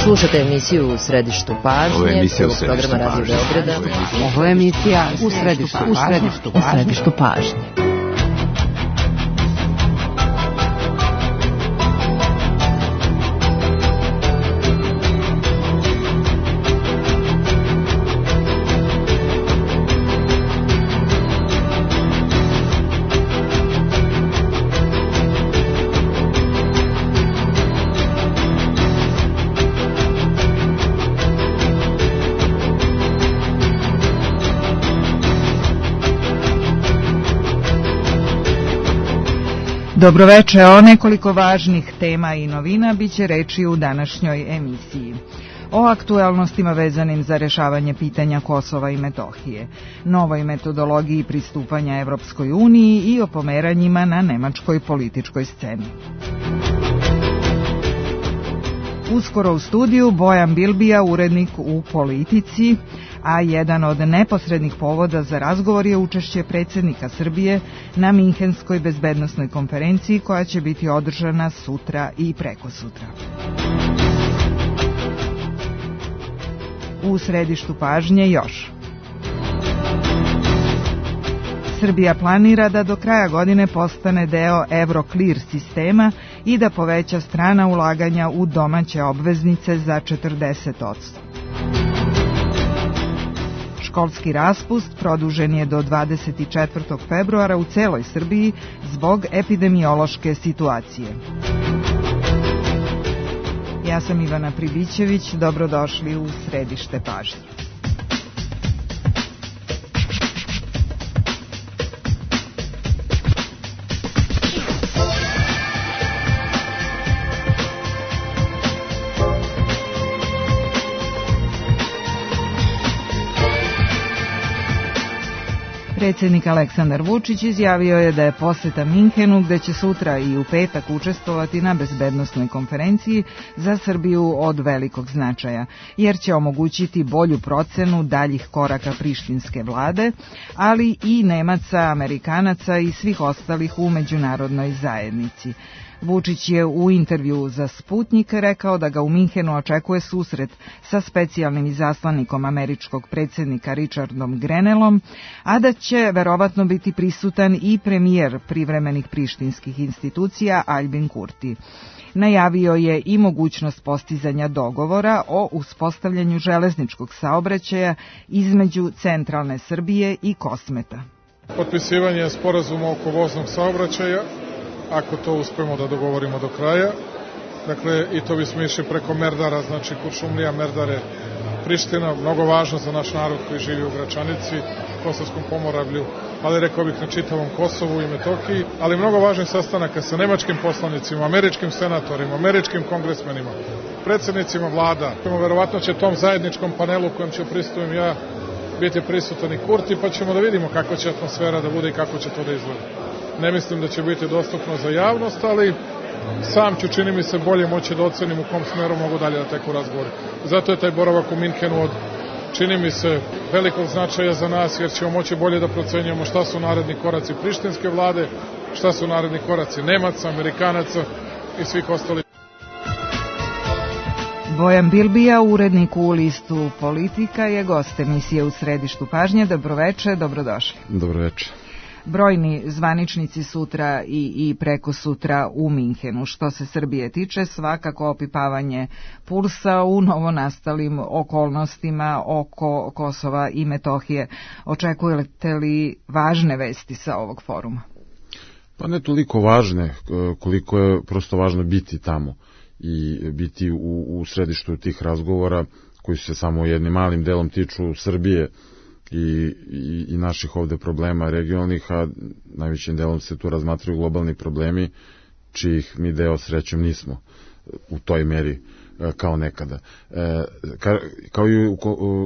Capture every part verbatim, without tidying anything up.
Slušate emisiju U središtu pažnje, Ovo je emisija prvog programa Radio Beograda. Ovo je emisija U središtu pažnje. U središtu pažnje. Dobroveče, o nekoliko važnih tema i novina biće reči u današnjoj emisiji. O aktuelnostima vezanim za rešavanje pitanja Kosova i Metohije, novoj metodologiji pristupanja Evropskoj uniji i o pomeranjima na nemačkoj političkoj sceni. Uskoro u studiju Bojan Bilbija, urednik u Politici, a jedan od neposrednih povoda za razgovor je učešće predsjednika Srbije na Minhenskoj bezbednosnoj konferenciji koja će biti održana sutra i prekosutra. U središtu pažnje još. Srbija planira da do kraja godine postane deo Euroclear sistema i da poveća strana ulaganja u domaće obveznice za četrdeset posto. Školski raspust produžen je do dvadeset četvrtog februara u celoj Srbiji zbog epidemiološke situacije. Ja sam Ivana Pribićević, dobrodošli u središte pažnje. Predsjednik Aleksandar Vučić izjavio je da je poseta Minhenu, gde će sutra i u petak učestvovati na bezbednosnoj konferenciji, za Srbiju od velikog značaja, jer će omogućiti bolju procenu daljih koraka prištinske vlade, ali i Nemaca, Amerikanaca i svih ostalih u međunarodnoj zajednici. Vučić je u intervju za Sputnik rekao da ga u Minhenu očekuje susret sa specijalnim izaslanikom američkog predsjednika Richardom Grenellom, a da će verovatno biti prisutan i premijer privremenih prištinskih institucija Aljbin Kurti. Najavio je i mogućnost postizanja dogovora o uspostavljanju železničkog saobraćaja između centralne Srbije i Kosmeta. Potpisivanje sporazuma oko voznog saobraćaja, ako to uspemo da dogovorimo do kraja. Dakle, i to bismo išli preko Merdara, znači Kuršumlija, Merdare, Priština, mnogo važno za naš narod koji živi u Gračanici, Kosovskom pomoravlju, ali rekao bih na čitavom Kosovu i Metohiji, ali mnogo važnih sastanaka sa nemačkim poslanicima, američkim senatorima, američkim kongresmenima, predsjednicima vlada. Verovatno će tom zajedničkom panelu kojem ću prisustujem ja biti prisutan i Kurti, pa ćemo da vidimo kako će atmosfera da bude i kako će to da izgleda. Ne mislim da će biti dostupno za javnost, ali sam ću, čini mi se, bolje moći da ocenim u kom smeru mogu dalje da teku razgovori. Zato je taj boravak u Minhenu od, čini mi se, velikog značaja za nas, jer ćemo moći bolje da procenjujemo šta su naredni koraci prištinske vlade, šta su naredni koraci Nemaca, Amerikanaca i svih ostalih. Bojan Bilbija, urednik u listu Politika, je gost emisije U središtu pažnje. Dobroveče, dobrodošli. Dobroveče. Brojni zvaničnici sutra i, i preko sutra u Minhenu. Što se Srbije tiče, svakako opipavanje pulsa u novonastalim okolnostima oko Kosova i Metohije. Očekujete li važne vesti sa ovog foruma? Pa ne toliko važne, koliko je prosto važno biti tamo i biti u, u središtu tih razgovora koji se samo jednim malim delom tiču Srbije I, i, i naših ovde problema regionalnih, a najvećim delom se tu razmatraju globalni problemi, čijih mi deo srećom nismo u toj meri kao nekada. E, ka, kao i u,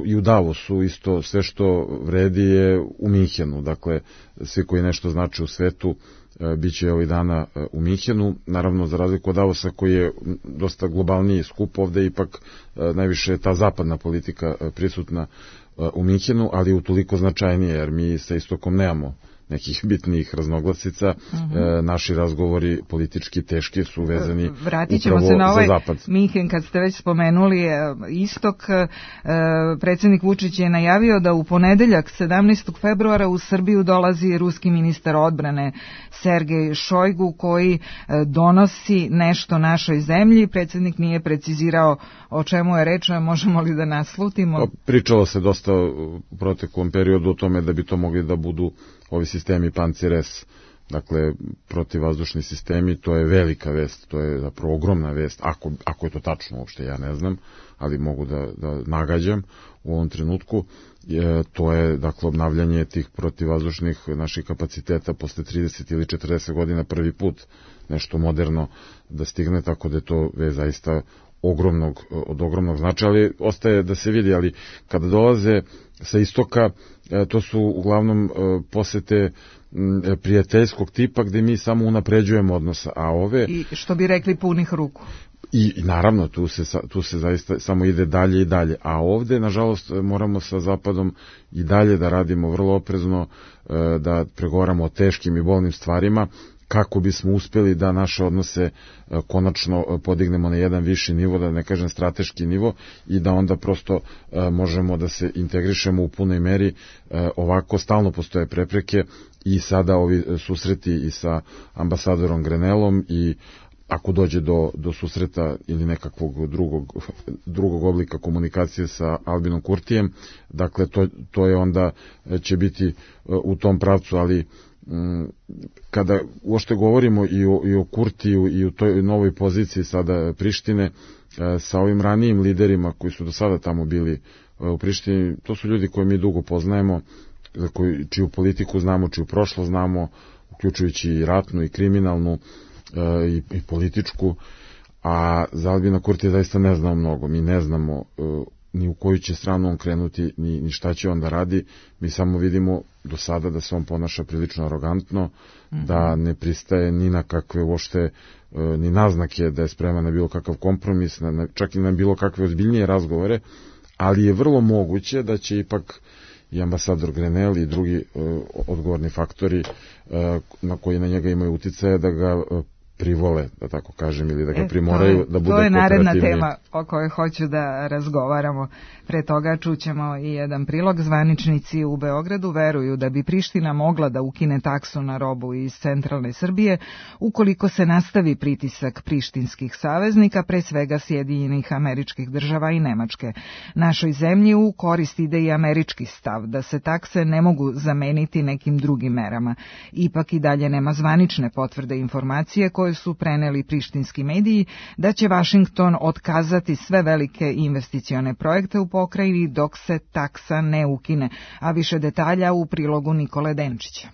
i u Davosu isto sve što vredi je u Minhenu, dakle svi koji nešto znači u svetu e, bit će ovih dana e, u Minhenu, naravno za razliku od Davosa koji je dosta globalniji skup, ovde ipak e, najviše ta zapadna politika e, prisutna u Minhenu, ali utoliko značajnije, jer mi sa istokom nemamo nekih bitnijih raznoglasica. Mm-hmm. E, naši razgovori politički teški su vezani Vratit ćemo se na ovaj za zapad. Minhen, kad ste već spomenuli istok. E, predsjednik Vučić je najavio da u ponedeljak sedamnaestog februara u Srbiju dolazi ruski ministar odbrane Sergej Šojgu, koji e, donosi nešto našoj zemlji. Predsjednik nije precizirao o čemu je reč, možemo li da naslutimo? Pričalo se dosta u proteklom periodu o tome da bi to mogli da budu ovi sistemi Pancir S, dakle protivvazdušni sistemi. To je velika vest, to je zapravo ogromna vest, ako, ako je to tačno uopšte, ja ne znam, ali mogu da, da nagađam u ovom trenutku. E, to je, dakle, obnavljanje tih protivvazdušnih naših kapaciteta posle trideset ili četrdeset godina prvi put nešto moderno da stigne, tako da je to je zaista ogromnog, od ogromnog značaja, ali ostaje da se vidi, ali kada dolaze sa istoka, to su uglavnom posete prijateljskog tipa gde mi samo unapređujemo odnos, a ove... I što bi rekli punih ruku. I, i naravno, tu se, tu se zaista samo ide dalje i dalje, a ovde, nažalost, moramo sa Zapadom i dalje da radimo vrlo oprezno, da pregovaramo o teškim i bolnim stvarima, kako bismo uspeli da naše odnose konačno podignemo na jedan viši nivo, da ne kažem strateški nivo, i da onda prosto možemo da se integrišemo u punoj meri. Ovako stalno postoje prepreke i sada ovi susreti i sa ambasadorom Grenelom, i ako dođe do, do susreta ili nekakvog drugog, drugog oblika komunikacije sa Albinom Kurtijem, dakle to, to je onda će biti u tom pravcu, ali kada uopšte govorimo i o, i o Kurtiju i o toj novoj poziciji sada Prištine, sa ovim ranijim liderima koji su do sada tamo bili u Prištini, to su ljudi koje mi dugo poznajemo, koji, čiju politiku znamo, čiju prošlost znamo, uključujući i ratnu i kriminalnu i, i političku, a za Albina Kurtija zaista ne znamo mnogo. Mi ne znamo ni u koju će stranu on krenuti, ni, ni šta će on da radi. Mi samo vidimo do sada da se on ponaša prilično arogantno, mm-hmm. da ne pristaje ni na kakve uopšte, ni naznake da je spreman na bilo kakav kompromis, na, čak i na bilo kakve ozbiljnije razgovore, ali je vrlo moguće da će ipak i ambasador Grenell i drugi uh, odgovorni faktori uh, na koji na njega imaju uticaje da ga uh, privole, da tako kažem, ili da ga primoraju da bude kooperativni. To je naredna tema o kojoj hoću da razgovaramo. Pre toga čućemo i jedan prilog. Zvaničnici u Beogradu veruju da bi Priština mogla da ukine taksu na robu iz centralne Srbije ukoliko se nastavi pritisak prištinskih saveznika, pre svega Sjedinjenih Američkih Država i Nemačke. Našoj zemlji u korist ide i američki stav da se takse ne mogu zameniti nekim drugim merama. Ipak i dalje nema zvanične potvrde informacije koje su preneli prištinski mediji da će Vašington otkazati sve velike investicione projekte u pokrajini dok se taksa ne ukine, a više detalja u prilogu Nikole Denčića.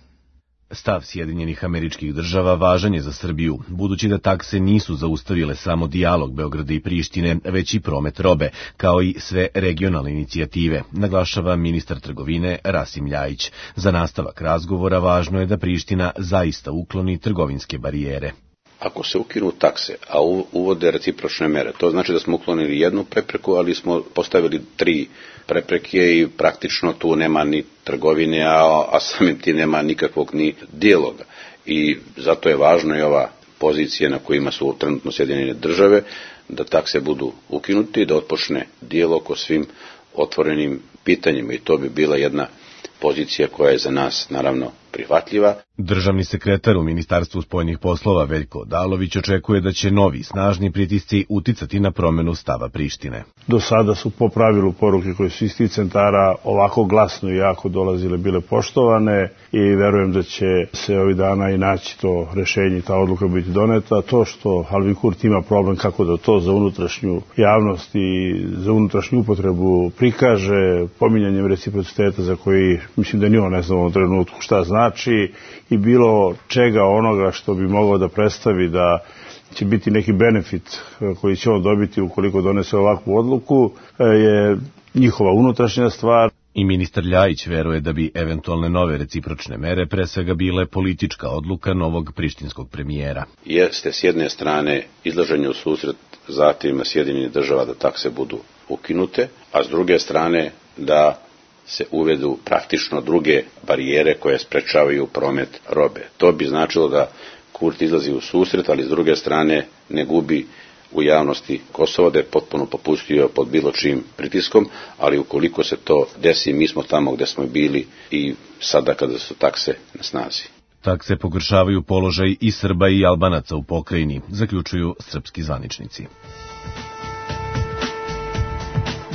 Stav Sjedinjenih Američkih Država važan je za Srbiju, budući da takse nisu zaustavile samo dijalog Beograda i Prištine, već i promet robe, kao i sve regionalne inicijative, naglašava ministar trgovine Rasim Ljajić. Za nastavak razgovora važno je da Priština zaista ukloni trgovinske barijere. Ako se ukinu takse, a uvode recipročne mere, to znači da smo uklonili jednu prepreku, ali smo postavili tri prepreke i praktično tu nema ni trgovine, a, a samim ti nema nikakvog ni dijaloga. I zato je važno i ova pozicija na kojima su trenutno Sjedinjene Države, da takse budu ukinuti i da otpočne dijalog o svim otvorenim pitanjima, i to bi bila jedna pozicija koja je za nas naravno prihvatljiva. Državni sekretar u Ministarstvu spoljnih poslova Veljko Odalović očekuje da će novi snažni pritisci uticati na promenu stava Prištine. Do sada su po pravilu poruke koje su iz tih centara ovako glasno i jako dolazile bile poštovane i verujem da će se ovih dana i naći to rešenje i ta odluka biti doneta. To što Albin Kurti ima problem kako da to za unutrašnju javnost i za unutrašnju upotrebu prikaže, pominjanjem reciprociteta za koji mislim da ni on ne zna u ovom trenutku šta znači, i bilo čega onoga što bi mogao da predstavi da će biti neki benefit koji će on dobiti ukoliko donese ovakvu odluku, je njihova unutrašnja stvar. I ministar Ljajić veruje da bi eventualne nove recipročne mere pre svega bile politička odluka novog prištinskog premijera. Jeste s jedne strane izlaženje u susret zahtjevima Sjedinjenih Država da takse budu ukinute, a s druge strane da se uvedu praktično druge barijere koje sprečavaju promet robe. To bi značilo da Kurti izlazi u susret, ali s druge strane ne gubi u javnosti Kosovo, da je potpuno popustio pod bilo čim pritiskom, ali ukoliko se to desi, mi smo tamo gde smo bili i sada kada su takse na snazi. Takse pogoršavaju položaj i Srba i Albanaca u pokrajini, zaključuju srpski zvaničnici.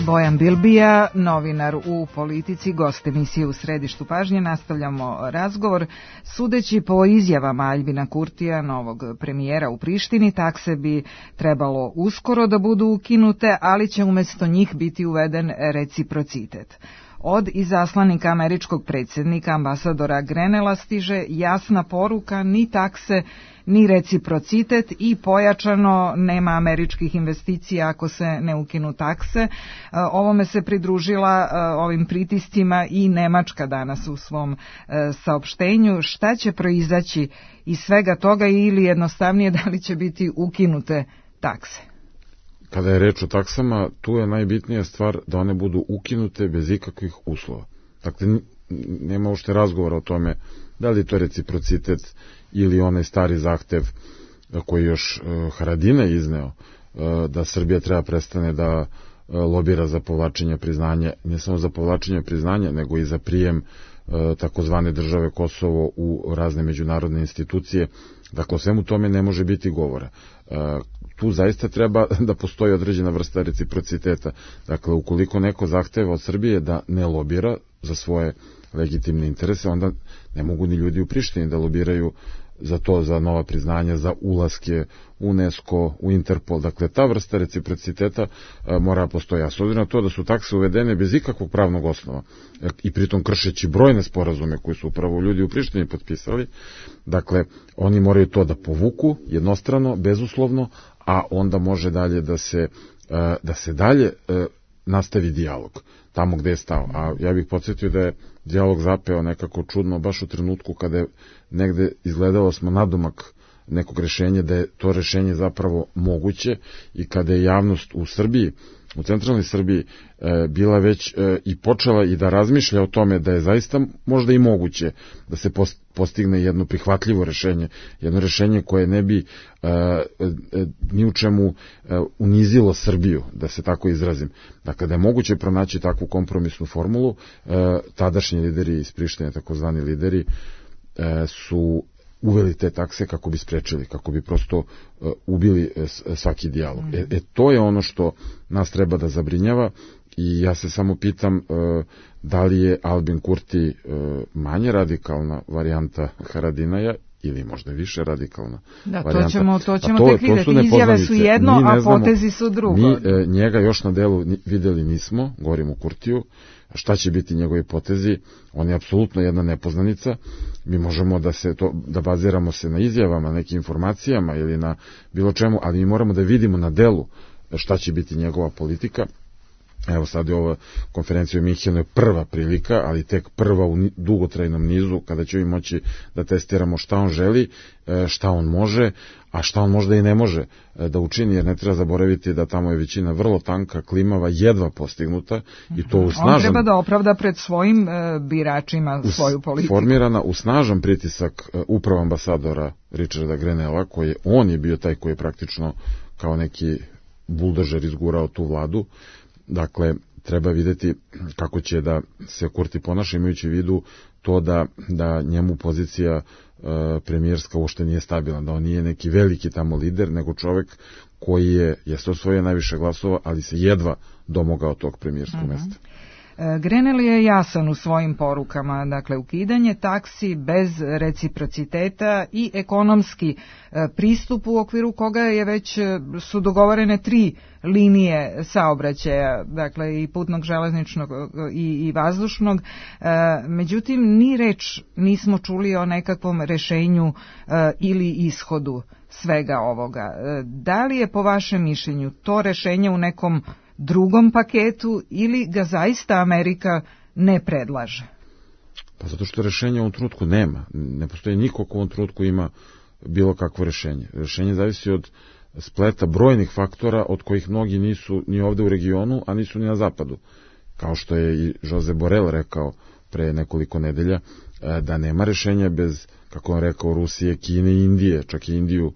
Bojan Bilbija, novinar u Politici, gost emisije U središtu pažnje. Nastavljamo razgovor. Sudeći po izjavama Aljbina Kurtija, novog premijera u Prištini, takse bi trebalo uskoro da budu ukinute, ali će umjesto njih biti uveden reciprocitet. Od izaslanika američkog predsjednika, ambasadora Grenela, stiže jasna poruka: ni takse, ni reciprocitet, i pojačano nema američkih investicija ako se ne ukinu takse. Ovome se pridružila ovim pritiscima i Nemačka danas u svom saopštenju. Šta će proizaći iz svega toga, ili jednostavnije da li će biti ukinute takse? Kada je reč o taksama, tu je najbitnija stvar da one budu ukinute bez ikakvih uslova. Dakle, nema uopšte razgovora o tome da li je to reciprocitet ili onaj stari zahtev koji još Haradinaj izneo, da Srbija treba prestane da lobira za povlačenje priznanja, ne samo za povlačenje priznanja, nego i za prijem takozvane države Kosovo u razne međunarodne institucije. Dakle, o svemu tome ne može biti govora. Tu zaista treba da postoji određena vrsta reciprociteta. Dakle, ukoliko neko zahteva od Srbije da ne lobira za svoje legitimne interese, onda ne mogu ni ljudi u Prištini da lobiraju za to, za nova priznanja, za ulaske u UNESCO, u Interpol. Dakle, ta vrsta reciprociteta a, mora postoji. A s obzirom na to da su takse uvedene bez ikakvog pravnog osnova i pritom kršeći brojne sporazume koje su upravo ljudi u Prištini potpisali, dakle, oni moraju to da povuku jednostrano, bezuslovno, a onda može dalje da se, a, da se dalje a, nastavi dijalog tamo gde je stao. A ja bih podsjetio da je dijalog zapeo nekako čudno baš u trenutku kada je negde izgledalo smo nadomak nekog rešenja, da je to rešenje zapravo moguće, i kada je javnost u Srbiji, u centralnoj Srbiji, e, bila već e, i počela i da razmišlja o tome da je zaista možda i moguće da se postigne jedno prihvatljivo rešenje, jedno rešenje koje ne bi e, e, ni u čemu e, unizilo Srbiju, da se tako izrazim. Dakle, da je moguće pronaći takvu kompromisnu formulu, e, tadašnji lideri iz Prištine, takozvani lideri, e, su uveli te takse kako bi sprečili, kako bi prosto uh, ubili uh, svaki dijalog. Mm. E, e to je ono što nas treba da zabrinjava, i ja se samo pitam uh, da li je Albin Kurti uh, manje radikalna varijanta Haradinaja ili možda više radikalna da, varijanta. To ćemo, to ćemo to, tek vidjeti. Izjave su jedno, a znamo, potezi su drugo. Mi e, njega još na delu videli nismo, govorimo o Kurtiju. Šta će biti njegovi potezi? On je apsolutno jedna nepoznanica. Mi možemo da se to, da baziramo se na izjavama, nekim informacijama ili na bilo čemu, ali mi moramo da vidimo na delu šta će biti njegova politika. Evo sad je ova konferencija u Minhenu je prva prilika, ali tek prva u dugotrajnom nizu, kada ćemo moći da testiramo šta on želi, šta on može, a šta on možda i ne može da učini, jer ne treba zaboraviti da tamo je većina vrlo tanka, klimava, jedva postignuta, i to u snažan... On treba da opravda pred svojim biračima svoju politiku. Formirana u snažan pritisak upravo ambasadora Richarda Grenela, koji on je bio taj koji je praktično kao neki buldožer izgurao tu vladu. Dakle, treba vidjeti kako će da se Kurti ponaša, imajući u vidu to da, da njemu pozicija e, premijerska uopšte nije stabilna, da on nije neki veliki tamo lider, nego čovek koji je, jeste osvojio najviše glasova, ali se jedva domogao tog premijerskog uh-huh. mesta. Grenell je jasan u svojim porukama, dakle ukidanje taksi bez reciprociteta i ekonomski pristup u okviru koga je već su dogovorene tri linije saobraćaja, dakle i putnog, železničnog i, i vazdušnog. Međutim, ni reč nismo čuli o nekakvom rešenju ili ishodu svega ovoga. Da li je po vašem mišljenju to rešenje u nekom drugom paketu ili ga zaista Amerika ne predlaže? Pa zato što rešenja u ovom trenutku nema. Ne postoji niko ko u ovom trenutku ima bilo kakvo rešenje. Rešenje zavisi od spleta brojnih faktora od kojih mnogi nisu ni ovde u regionu, a nisu ni na zapadu. kao što je i Josep Borrell rekao pre nekoliko nedelja, da nema rešenja bez, kako on rekao, Rusije, Kine i Indije, čak i Indiju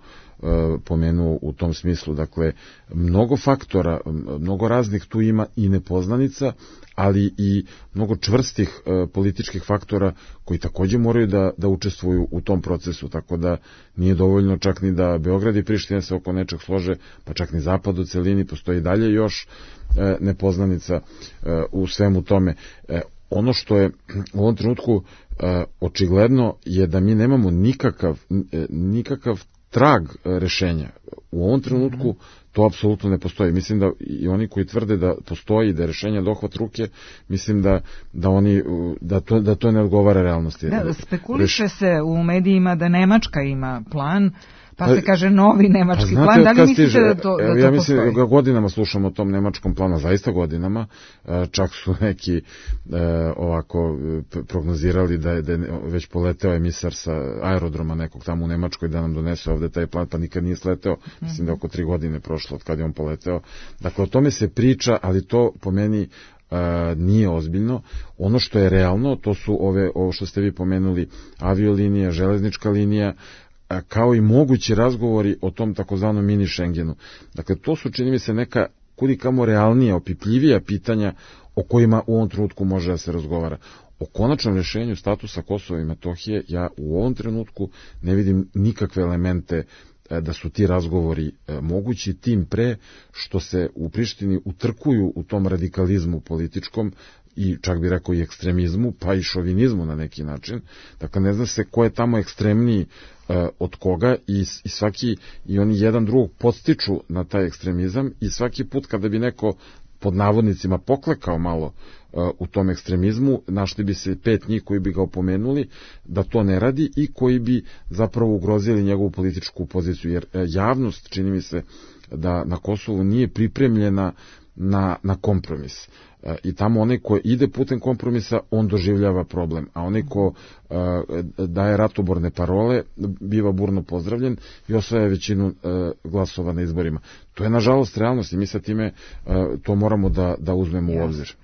pomenuo u tom smislu. Dakle, mnogo faktora, mnogo raznih tu ima i nepoznanica, ali i mnogo čvrstih e, političkih faktora koji takođe moraju da, da učestvuju u tom procesu, tako da nije dovoljno čak ni da Beograd i Priština se oko nečeg slože, pa čak ni Zapad u celini, postoji dalje još e, nepoznanica e, u svemu tome. E, ono što je u ovom trenutku e, očigledno je da mi nemamo nikakav, e, nikakav trag rešenja. U ovom trenutku to apsolutno ne postoji. Mislim da i oni koji tvrde da postoji, da je rešenje dohvat ruke, mislim da, da, oni, da, to, da to ne odgovara realnosti. Da, spekuliše Reš... se u medijima da Nemačka ima plan, pa se kaže novi nemački pa, plan. Da li mislite stiže, da to, da to ja mislim postoji? Da godinama slušamo o tom nemačkom planu, zaista godinama. Čak su neki ovako prognozirali da je, da je već poleteo emisar sa aerodroma nekog tamo u Nemačkoj da nam donese ovde taj plan, pa nikad nije sleteo. Mislim da oko tri godine prošlo od kada je on poleteo. Dakle, o tome se priča, ali to po meni Uh, nije ozbiljno. Ono što je realno, to su ove, ovo što ste vi pomenuli, aviolinija, železnička linija, uh, kao i mogući razgovori o tom takozvanom mini Schengenu. Dakle, to su, čini mi se, neka kudikamo realnija, opipljivija pitanja o kojima u ovom trenutku može da se razgovara. O konačnom rešenju statusa Kosova i Metohije ja u ovom trenutku ne vidim nikakve elemente da su ti razgovori mogući, tim pre što se u Prištini utrkuju u tom radikalizmu političkom i čak bi rekao i ekstremizmu, pa i šovinizmu na neki način. Dakle, ne zna se ko je tamo ekstremniji e, od koga i, i svaki, i oni jedan drugog podstiču na taj ekstremizam i svaki put kada bi neko pod navodnicima poklekao malo uh, u tom ekstremizmu, našli bi se pet njih koji bi ga opomenuli da to ne radi i koji bi zapravo ugrozili njegovu političku poziciju, jer uh, javnost, čini mi se, da na Kosovu nije pripremljena na, na kompromis. Uh, I tamo onaj ko ide putem kompromisa, on doživljava problem, a onaj ko uh, daje ratoborne parole, biva burno pozdravljen i osvaja većinu uh, glasova na izborima. To je nažalost realnost i mi sa time uh, to moramo da, da uzmemo u obzir.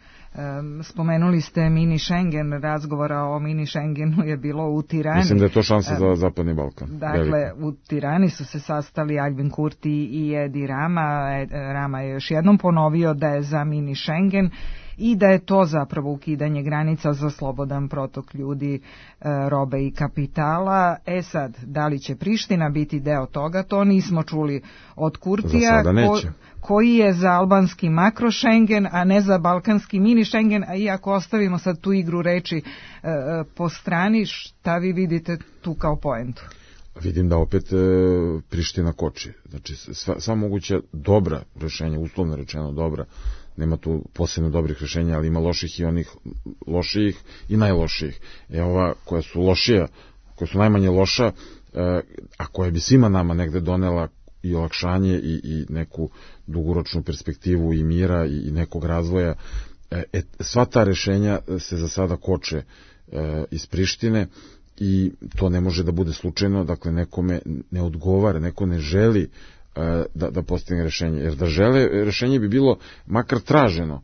Spomenuli ste mini Schengen, razgovora o mini Schengenu je bilo u Tirani. Mislim da je to šansa za Zapadni Balkan. Dakle, velika. U Tirani su se sastali Albin Kurti i Edi Rama. Rama je još jednom ponovio da je za mini Schengen i da je to zapravo ukidanje granica za slobodan protok ljudi, robe i kapitala. E sad, da li će Priština biti deo toga, to nismo čuli od Kurtija, ko, koji je za albanski makro Schengen, a ne za balkanski mini Schengen, a iako ostavimo sad tu igru reči e, po strani, šta vi vidite tu kao poentu? Vidim da opet e, Priština koči. Znači, sva, sva moguća dobra rešenja, uslovno rečeno dobra, nema tu posebno dobrih rešenja, ali ima loših i onih lošijih i najlošijih. E ova koja su lošija, koja su najmanje loša, e, a koja bi svima nama negde donela i olakšanje i, i neku dugoročnu perspektivu i mira i, i nekog razvoja, e, sva ta rešenja se za sada koče e, iz Prištine i to ne može da bude slučajno, dakle nekome ne odgovara, neko ne želi Da, da postigne rešenje, jer da žele rešenje bi bilo makar traženo,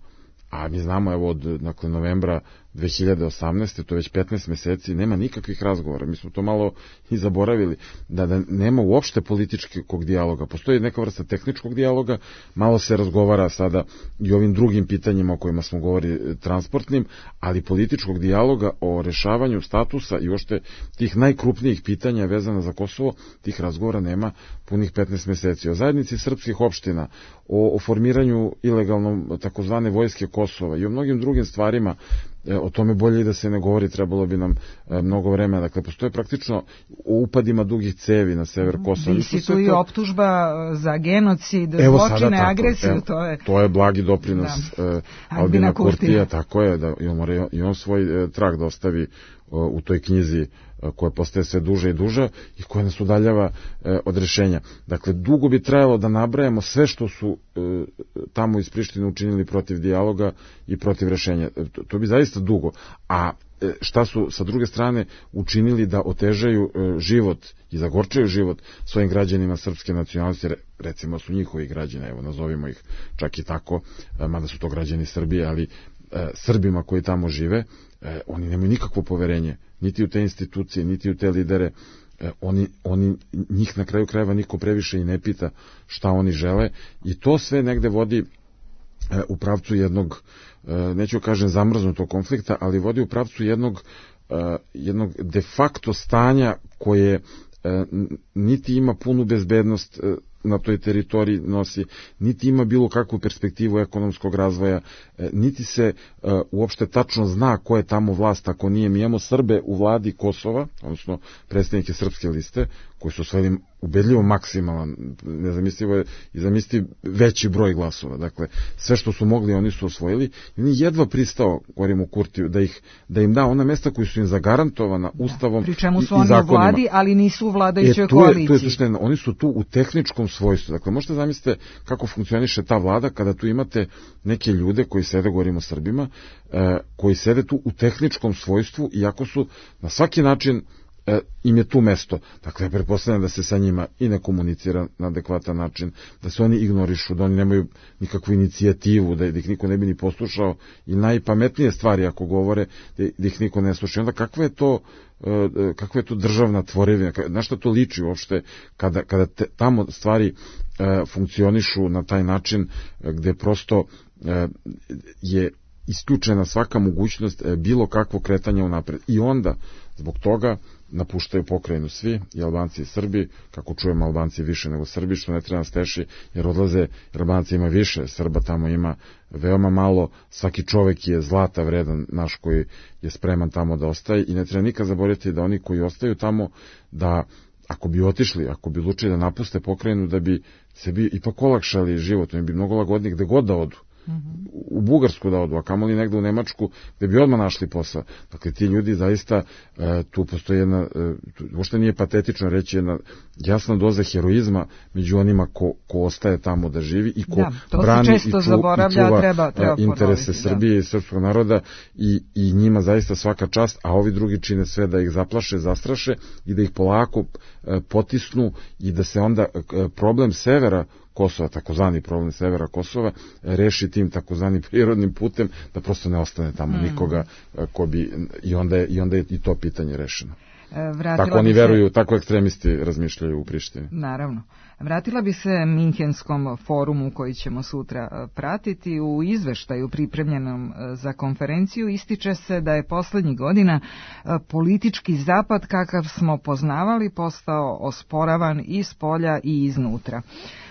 a mi znamo evo od dakle, novembra dve hiljade osamnaeste, to je već petnaest meseci, nema nikakvih razgovora, mi smo to malo i zaboravili, da, da nema uopšte političkog dijaloga, postoji neka vrsta tehničkog dijaloga, malo se razgovara sada i ovim drugim pitanjima o kojima smo govorili, transportnim, ali političkog dijaloga o rešavanju statusa i uopšte tih najkrupnijih pitanja vezana za Kosovo, tih razgovora nema punih petnaest meseci. O zajednici srpskih opština, o, o formiranju ilegalnom takozvane vojske Kosova i o mnogim drugim stvarima, o tome bolje i da se ne govori, trebalo bi nam e, mnogo vremena. Dakle, postoje praktično o upadima dugih cevi na sever Kosova. Visi tu i optužba za genocid, zločine, agresiju. Evo, to, je... to je blagi doprinos da. e, Albina Kurtija, tako je, da i on, mora, i on svoj e, trag da ostavi o, u toj knjizi koja postaje sve duža i duža i koja nas udaljava e, od rešenja. Dakle, dugo bi trajalo da nabrajamo sve što su e, tamo iz Prištine učinili protiv dijaloga i protiv rešenja. E, to, to bi zaista dugo. A e, šta su sa druge strane učinili da otežaju e, život i zagorčaju život svojim građanima srpske nacionalnosti, recimo su njihovi građani, evo nazovimo ih čak i tako, e, mada su to građani Srbije, ali e, Srbima koji tamo žive, e, oni nemaju nikakvo poverenje, niti u te institucije, niti u te lidere, e, oni, oni, njih na kraju krajeva niko previše i ne pita šta oni žele i to sve negde vodi e, u pravcu jednog, e, neću kažem zamrznutog konflikta, ali vodi u pravcu jednog, e, jednog de facto stanja koje e, niti ima punu bezbednost e, na toj teritoriji nosi, niti ima bilo kakvu perspektivu ekonomskog razvoja, niti se uh, uopšte tačno zna ko je tamo vlast, ako nije. Mi imamo Srbe u vladi Kosova, odnosno predstavnike Srpske liste, koji su osvojili ubedljivo maksimalan, nezamislivo je i zamisli veći broj glasova. Dakle, sve što su mogli oni su osvojili i on je jedva pristao, govorimo o Kurtiju, da, ih, da im da ona mesta koji su im zagarantovana Ustavom da, pri čemu su i, i oni zakonima. u vladi, ali nisu u vladajućoj e, koaliciji. To je suština, oni su tu u tehničkom svojstvu. Dakle, možete zamislite kako funkcioniše ta vlada kada tu imate neke ljude koji sede, govorimo o Srbima, e, koji sede tu u tehničkom svojstvu, iako su na svaki način e, im je tu mesto. Dakle, pretpostavljam da se sa njima i ne komunicira na adekvatan način, da se oni ignorišu, da oni nemaju nikakvu inicijativu, da, da ih niko ne bi ni poslušao i najpametnije stvari ako govore, da, da ih niko ne sluša. Onda kakva je to kakva je to državna tvorevina, na što to liči uopšte kada, kada te, tamo stvari e, funkcionišu na taj način gde prosto e, je isključena svaka mogućnost e, bilo kakvo kretanja unapred. I onda, zbog toga, napuštaju pokrajinu svi, i Albanci i Srbi, kako čujemo Albanci više nego Srbi, što ne treba nas teši, jer odlaze, jer Albanci ima više, Srba tamo ima veoma malo, svaki čovek je zlata vredan naš koji je spreman tamo da ostaje i ne treba nikad zaboraviti da oni koji ostaju tamo, da ako bi otišli, ako bi odlučili da napuste pokrajinu, da bi sebi ipak olakšali život, oni bi mnogo lagodnije gde god da odu. U Bugarsku da odu, a kamoli negde u Nemačku gde bi odmah našli posao. Dakle, ti ljudi zaista, e, tu postoji jedna, e, uopšte nije patetično reći, jedna jasna doza heroizma među onima ko, ko ostaje tamo da živi i ko da, brani i, ču, i čuva treba, treba interese ponoviti, Srbije da. I srpskog naroda i, i njima zaista svaka čast, a ovi drugi čine sve da ih zaplaše, zastraše i da ih polako e, potisnu i da se onda e, problem severa Kosova, takozvani problem severa Kosova, reši tim takozvanim prirodnim putem, da prosto ne ostane tamo mm. nikoga ko bi, i onda, je, i onda je i to pitanje rešeno. Vratila tako oni se... veruju, tako ekstremisti razmišljaju u Prištini. Naravno. Vratila bi se Minhenskom forumu koji ćemo sutra pratiti. U izveštaju pripremljenom za konferenciju ističe se da je poslednjih godina politički zapad kakav smo poznavali postao osporavan i s polja i iznutra.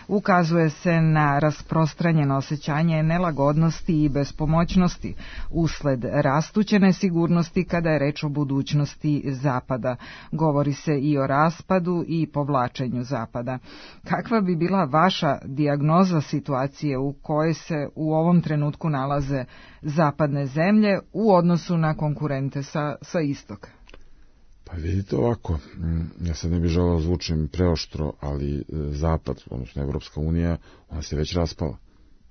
Ukazuje se na rasprostranjeno osjećanje nelagodnosti i bespomoćnosti usled rastuće nesigurnosti kada je reč o budućnosti Zapada. Govori se i o raspadu i povlačenju Zapada. Kakva bi bila vaša dijagnoza situacije u kojoj se u ovom trenutku nalaze zapadne zemlje u odnosu na konkurente sa, sa istoka? Pa vidite ovako, ja sad ne bih želeo zvučim preoštro, ali Zapad, odnosno Evropska unija, ona se već raspala.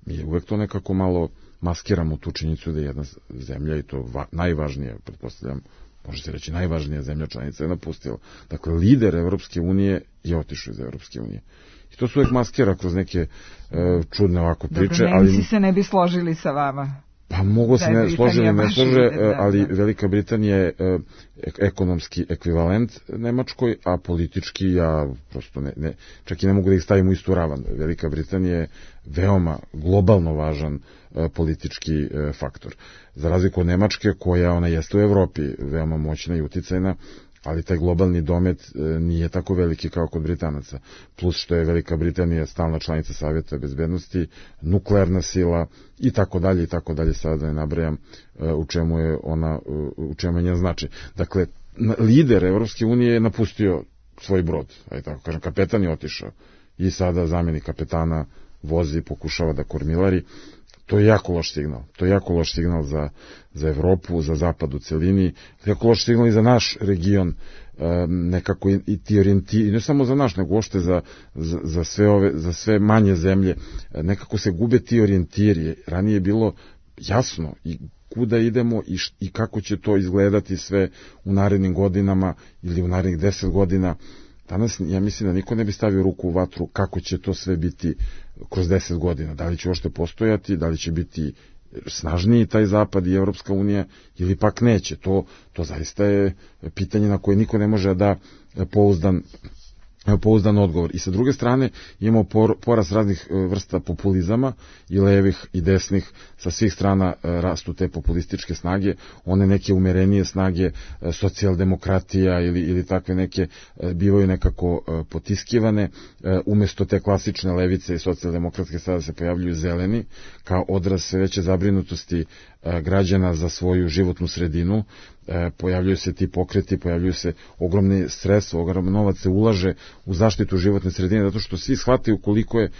Mi uvek to nekako malo maskiramo tu činjenicu da je jedna zemlja, i to va, najvažnija, pretpostavljam, može se reći najvažnija zemlja članica je napustila. Dakle, lider Evropske unije je otišao iz Evropske unije. I to se uvek maskira kroz neke e, čudne ovako priče. Dobro, Nemci ali se ne bi složili sa vama. Pa mogu se ne složili, ne slože, ali Velika Britanija je ekonomski ekvivalent Nemačkoj, a politički ja prosto ne, ne, čak i ne mogu da ih stavim u istu ravan. Velika Britanija je veoma globalno važan politički faktor. Za razliku od Nemačke, koja ona jeste u Evropi veoma moćna i uticajna, ali taj globalni domet nije tako veliki kao kod Britanaca. Plus što je Velika Britanija stalna članica Savjeta bezbednosti, nuklearna sila i tako dalje i tako dalje, sada da ne nabrajam u čemu je ona, u čemu je njen značaj. Dakle, lider Evropske unije je napustio svoj brod, aj tako kažem, kapetan je otišao i sada zamjenik kapetana vozi, pokušava da kormilari. To je jako loš signal. To je jako loš signal za, za Evropu, za Zapad u celini, jako loš signal i za naš region, nekako i, i ti orijentiri, ne samo za naš, nego uopšte za, za, za, sve ove, za sve manje zemlje, nekako se gube ti orijentiri. Ranije je bilo jasno i kuda idemo i, š, i kako će to izgledati sve u narednim godinama ili u narednih deset godina. Danas, ja mislim da niko ne bi stavio ruku u vatru kako će to sve biti kroz deset godina. Da li će uopšte postojati, da li će biti snažniji taj zapad i Evropska unija ili pak neće. To, to zaista je pitanje na koje niko ne može da pouzdan pouzdan odgovor. I sa druge strane imamo por, porast raznih vrsta populizama i levih i desnih, sa svih strana rastu te populističke snage, one neke umerenije snage, socijaldemokratija ili, ili takve neke bivaju nekako potiskivane, umesto te klasične levice i socijaldemokratske sada se pojavljuju zeleni, kao odraz sve veće zabrinutosti građana za svoju životnu sredinu, pojavljuju se ti pokreti, pojavljuju se ogromne sredstva, ogromno novac se ulaže u zaštitu životne sredine, zato što svi shvataju koliko je e,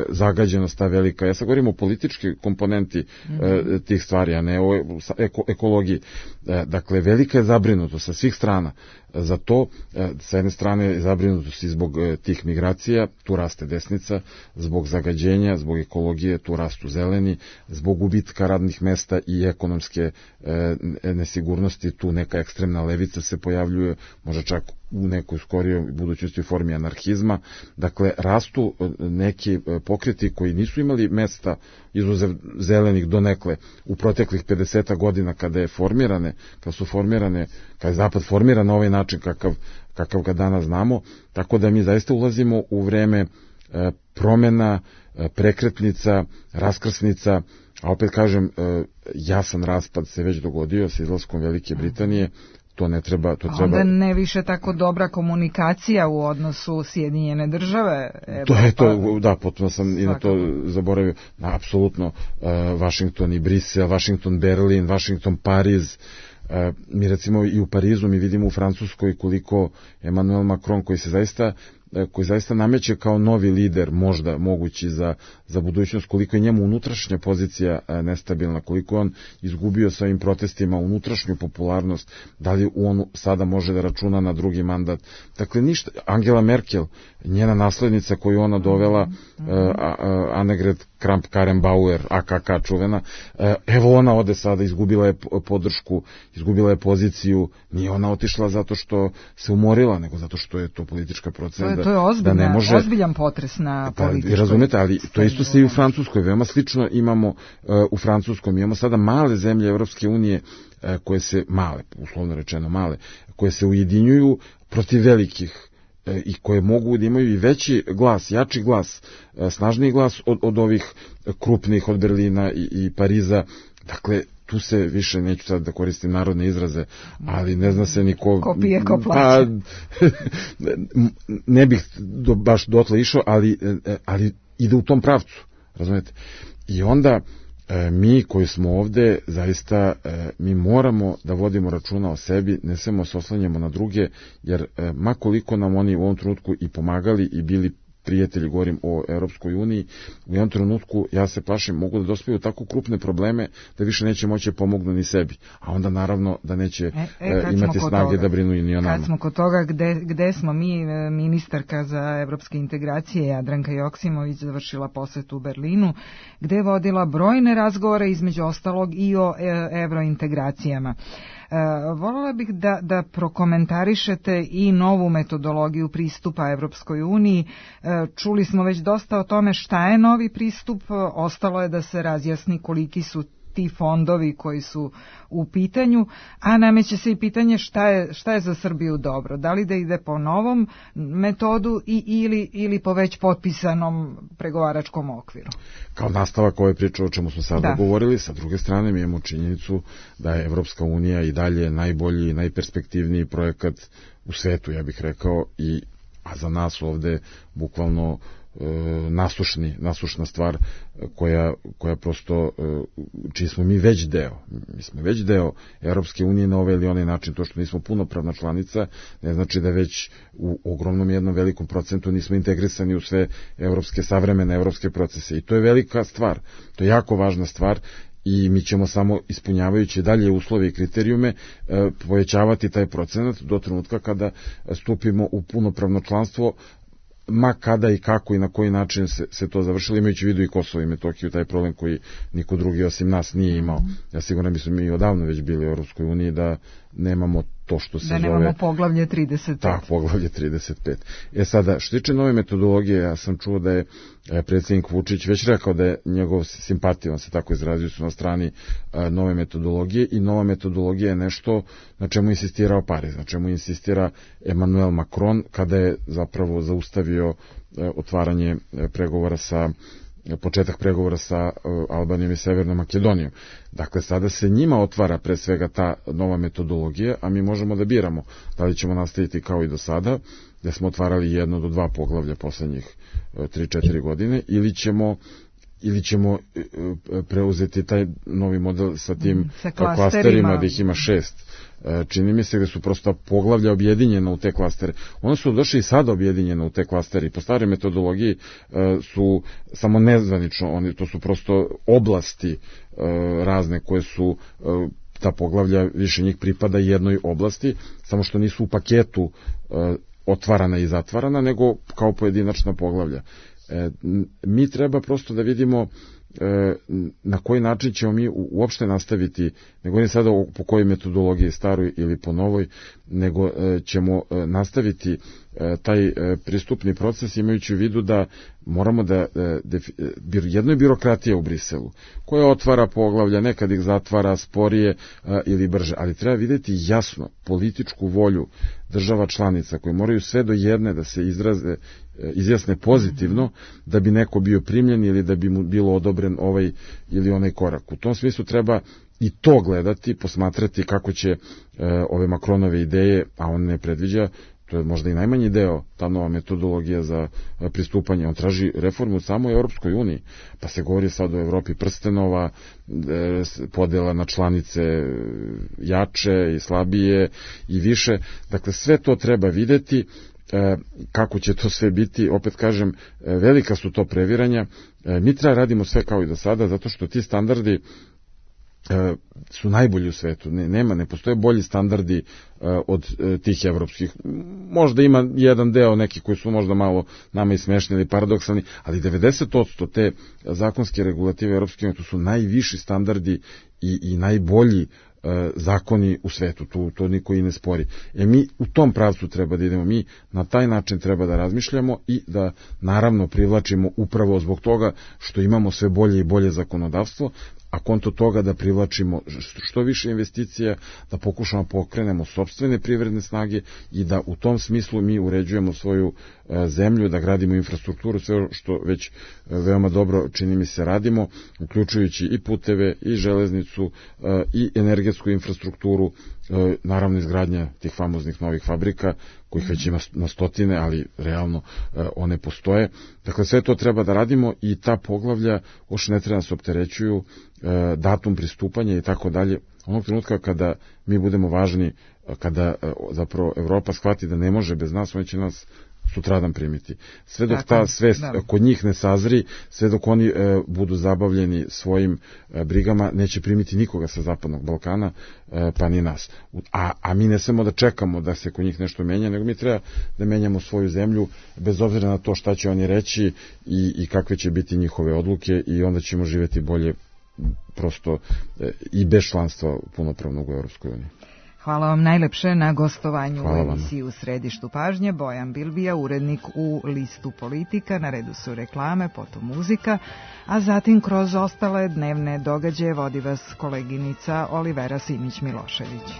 zagađenost ta velika. Ja sad govorim o politički komponenti e, tih stvari, a ne o eko, ekologiji. E, dakle, velika je zabrinutost sa svih strana. Za to, e, sa jedne strane je zabrinutost i zbog e, tih migracija, tu raste desnica, zbog zagađenja, zbog ekologije, tu rastu zeleni, zbog gubitka radnih mesta i ekonomske e, nesigurnosti, tu neka ekstremna levica se pojavljuje, možda čak u nekoj skorijoj budućnosti u formi anarhizma. Dakle, rastu neki pokreti koji nisu imali mesta, izuzev zelenih donekle, u proteklih pedeset godina kada je formirane, kada su formirane, kada je Zapad formiran na ovaj način kakav, kakav ga danas znamo, tako da mi zaista ulazimo u vreme e, promena, e, prekretnica, raskrsnica, a opet kažem, e, jasan raspad se već dogodio sa izlaskom Velike Britanije. To ne treba, to treba... Onda ne više tako dobra komunikacija u odnosu Sjedinjene države. Evropa. To je to, da, potpuno sam svakako i na to zaboravio. Na, apsolutno, uh, Washington i Brisel, Washington, Berlin, Washington, Pariz. Uh, mi recimo i u Parizu mi vidimo u Francuskoj koliko Emmanuel Macron, koji se zaista koji zaista nameće kao novi lider, možda mogući za, za budućnost, koliko je njemu unutrašnja pozicija nestabilna, koliko on izgubio sa ovim protestima unutrašnju popularnost, da li on sada može da računa na drugi mandat. Dakle, ništa. Angela Merkel, njena naslednica koju ona dovela, mm-hmm. uh, Annegret Kramp-Karrenbauer, A K K čuvena, uh, evo ona ode sada, izgubila je podršku, izgubila je poziciju, nije ona otišla zato što se umorila, nego zato što je to politička procena. To je, to je ozbiljna, da ne može, ozbiljan potres na političkoj. Pa, razumete, ali to isto se i u Francuskoj, veoma slično imamo uh, u Francuskom, imamo sada male zemlje Evropske unije, uh, koje se, male, uslovno rečeno male, koje se ujedinjuju protiv velikih uh, i koje mogu da imaju i veći glas, jači glas, uh, snažniji glas od, od ovih krupnih, od Berlina i, i Pariza. Dakle, tu se više, neću sad da koristim narodne izraze, ali ne zna se niko... Ko pije, ko plaća. Pa, ne bih do, baš dotle išao, ali, ali ide u tom pravcu, razumete? I onda mi koji smo ovde, zaista mi moramo da vodimo računa o sebi, ne samo se oslanjamo na druge, jer makoliko nam oni u ovom trenutku i pomagali i bili prijatelji, govorim o Europskoj uniji, u jednom trenutku, ja se plašim, mogu da dospiju tako krupne probleme da više neće moći pomognu ni sebi, a onda naravno da neće e, e, imati snage toga, da brinu i ni o nama. Kad smo kod toga, gde, gde smo mi, ministarka za evropske integracije Jadranka Joksimović završila posetu u Berlinu, gde je vodila brojne razgovore, između ostalog i o evrointegracijama. E, voljela bih da, da prokomentarišete i novu metodologiju pristupa Evropskoj uniji. E, čuli smo već dosta o tome šta je novi pristup, ostalo je da se razjasni koliki su ti fondovi koji su u pitanju, a nameće se i pitanje šta je, šta je za Srbiju dobro, da li da ide po novom metodu i, ili, ili po već potpisanom pregovaračkom okviru. Kao nastavak ove priče o čemu smo sada da. govorili, sa druge strane mi imamo činjenicu da je Evropska unija i dalje najbolji i najperspektivniji projekat u svetu, ja bih rekao, i, a za nas ovde bukvalno nasušni, nasušna stvar koja, koja prosto, čiji smo mi već deo. Mi smo već deo Europske unije na ovaj ili onaj način. To što nismo punopravna članica ne znači da već u ogromnom jednom velikom procentu nismo integrisani u sve evropske, savremene evropske procese. I to je velika stvar. To je jako važna stvar i mi ćemo samo ispunjavajući dalje uslove i kriterijume povećavati taj procenat do trenutka kada stupimo u punopravno članstvo, ma kada i kako i na koji način se, se to završilo, imajući u vidu i Kosovo i Metohiju, taj problem koji niko drugi osim nas nije imao. Ja sigurno bismo mi odavno već bili u Europskoj uniji da nemamo to što se da zove... Da nemamo poglavlje trideset pet. Tak, poglavlje trideset pet. E sada, što tiče nove metodologije, ja sam čuo da je predsjednik Vučić već rekao da je njegov simpatija, on se tako izrazio, su na strani nove metodologije i nova metodologija je nešto na čemu insistirao Pariz, na čemu insistira Emmanuel Macron kada je zapravo zaustavio otvaranje pregovora sa početak pregovora sa Albanijom i Severnom Makedonijom. Dakle, sada se njima otvara pre svega ta nova metodologija, a mi možemo da biramo da li ćemo nastaviti kao i do sada, gde smo otvarali jedno do dva poglavlja poslednjih tri četiri godine, ili ćemo ili ćemo preuzeti taj novi model sa tim sa klasterima, klasterima da ih ima šest. Čini mi se da su prosto poglavlja objedinjena u te klastere. One su došli i sada objedinjena u te klastere i po staroj metodologiji su samo nezvanično, oni, to su prosto oblasti razne koje su, ta poglavlja više njih pripada jednoj oblasti, samo što nisu u paketu otvarana i zatvarana, nego kao pojedinačna poglavlja. Mi treba prosto da vidimo na koji način ćemo mi uopšte nastaviti, ne govorim sada po kojoj metodologiji, staroj ili po novoj, nego ćemo nastaviti taj pristupni proces imajući u vidu da moramo da, jedno je birokratija u Briselu, koja otvara poglavlja, nekad ih zatvara sporije ili brže, ali treba videti jasno političku volju država članica koje moraju sve do jedne da se izraze, izjasne pozitivno da bi neko bio primljen ili da bi mu bilo odobren ovaj ili onaj korak. U tom smislu treba i to gledati, posmatrati kako će e, ove Macronove ideje, a on ne predviđa, to je možda i najmanji deo, ta nova metodologija za pristupanje. On traži reformu u samoj Europskoj uniji, pa se govori sad o Evropi prstenova, podela na članice jače i slabije i više. Dakle, sve to treba videti, kako će to sve biti. Opet kažem, velika su to previranja. Mi treba radimo sve kao i do sada, zato što ti standardi su najbolji u svetu. Ne, nema, ne postoje bolji standardi uh, od uh, tih evropskih. Možda ima jedan deo neki koji su možda malo nama i smešni ili paradoksalni, ali devedeset posto te zakonske regulative evropske unije, to su najviši standardi i, i najbolji uh, zakoni u svetu. Tu, to niko i ne spori. E mi u tom pravcu treba da idemo. Mi na taj način treba da razmišljamo i da naravno privlačimo upravo zbog toga što imamo sve bolje i bolje zakonodavstvo, a konto toga da privlačimo što više investicija, da pokušamo pokrenemo sopstvene privredne snage i da u tom smislu mi uređujemo svoju zemlju, da gradimo infrastrukturu, sve što već veoma dobro čini mi se radimo, uključujući i puteve, i železnicu, i energetsku infrastrukturu, naravno izgradnja tih famoznih novih fabrika, kojih već ima na stotine, ali realno one postoje. Dakle, sve to treba da radimo i ta poglavlja uopšte ne treba nas opterećuju, datum pristupanja i tako dalje. Onog trenutka kada mi budemo važni, kada zapravo Evropa shvati da ne može bez nas, oni će nas sutradan primiti. Sve dok ta svest kod njih ne sazri, sve dok oni e, budu zabavljeni svojim e, brigama, neće primiti nikoga sa Zapadnog Balkana, e, pa ni nas. A, a mi ne samo da čekamo da se kod njih nešto menja, nego mi treba da menjamo svoju zemlju, bez obzira na to šta će oni reći i, i kakve će biti njihove odluke, i onda ćemo živjeti bolje prosto e, i bez članstva punopravnog u Europskoj uniji. Hvala vam najlepše na gostovanju u emisiji U središtu pažnje. Bojan Bilbija, urednik u Listu Politika, na redu su reklame, potom muzika, a zatim kroz ostale dnevne događaje vodi vas koleginica Olivera Simić-Milošević.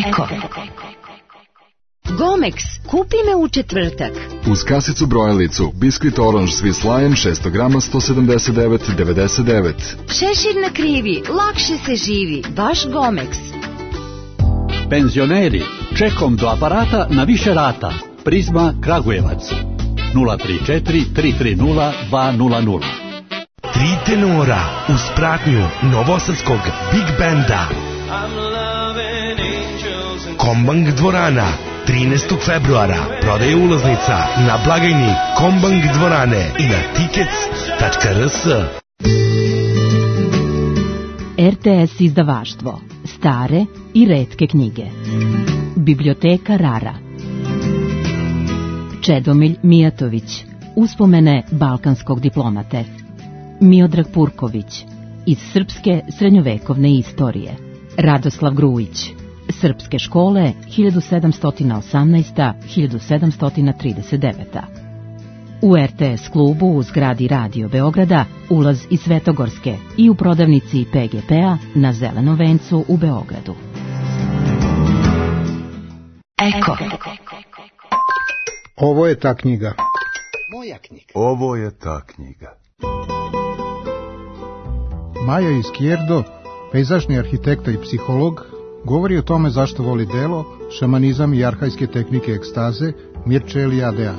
Eko. Gomex, kupi me u četvrtak. Uz kasicu brojalicu, biskvit Orange Swiss Lion šesto grama sto sedamdeset devet devedeset devet. Šešir na krivi, lakše se živi, baš Gomex. Penzioneri, čekom do aparata na više rata. Prizma Kragujevac. nula tri četiri tri tri nula dva nula nula. Tri tenora uz pratnju novosadskog Big Banda. Kombank dvorana. trinaestog februara prodaje ulaznica na blagajni Kombank dvorane i na tickets tačka r s. R T S izdavaštvo. Stare i retke knjige. Biblioteka Rara. Čedomilj Mijatović. Uspomene balkanskog diplomate. Miodrag Purković. iz srpske srednjovekovne istorije. Radoslav Grujić. Srpske škole hiljadu sedamsto osamnaesta do hiljadu sedamsto trideset deveta. U er te es klubu u zgradi Radio Beograda ulaz iz Svetogorske i u prodavnici pe ge pe-a na Zelenom vencu u Beogradu. Eko. Ovo je ta knjiga. Moja knjiga. Ovo je ta knjiga. Maja Izquierdo, pejzažni arhitekta i psiholog, govori o tome zašto voli delo, šamanizam i arhajske tehnike ekstaze Mirče Eliadea.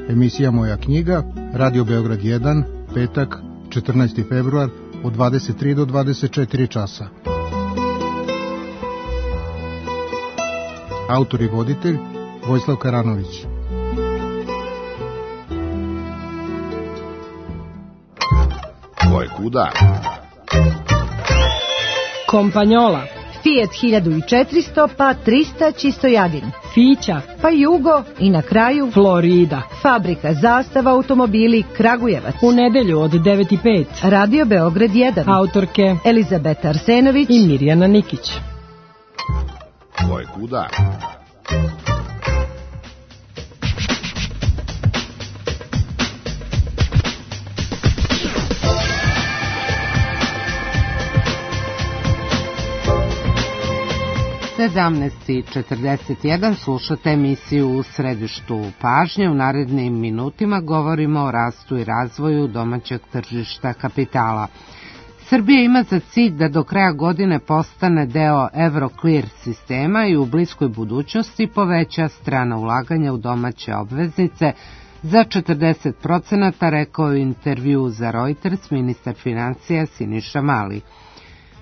Emisija Moja knjiga, Radio Beograd jedan, petak, četrnaesti februar, od dvadeset tri do dvadeset četiri časa. Autor i voditelj Vojislav Karanović. Ko je kuda? Kompanjola. Fiat hiljadu četiristo pa trista Čistojadin. Fića. Pa Jugo i na kraju Florida. Fabrika Zastava automobili Kragujevac. U nedelju od devet i pet. Radio Beograd jedan. Autorke Elizabeta Arsenović i Mirjana Nikić. Ko je kuda? sedamnaest i četrdeset jedan slušate emisiju U središtu pažnje. U narednim minutima govorimo o rastu i razvoju domaćeg tržišta kapitala. Srbija ima za cilj da do kraja godine postane deo Euroclear sistema i u bliskoj budućnosti poveća strana ulaganja u domaće obveznice za četrdeset procenata, rekao je u intervju za Reuters ministar financija Siniša Mali.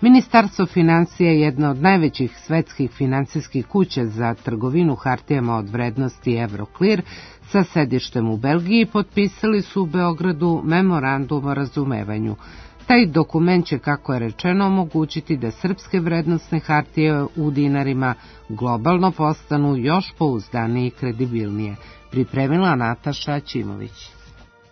Ministarstvo financija je jedna od najvećih svetskih finansijskih kuća za trgovinu hartijama od vrednosti Euroclear sa sedištem u Belgiji potpisali su u Beogradu memorandum o razumevanju. Taj dokument će, kako je rečeno, omogućiti da srpske vrednosne hartije u dinarima globalno postanu još pouzdanije i kredibilnije. Pripremila Nataša Ćimović.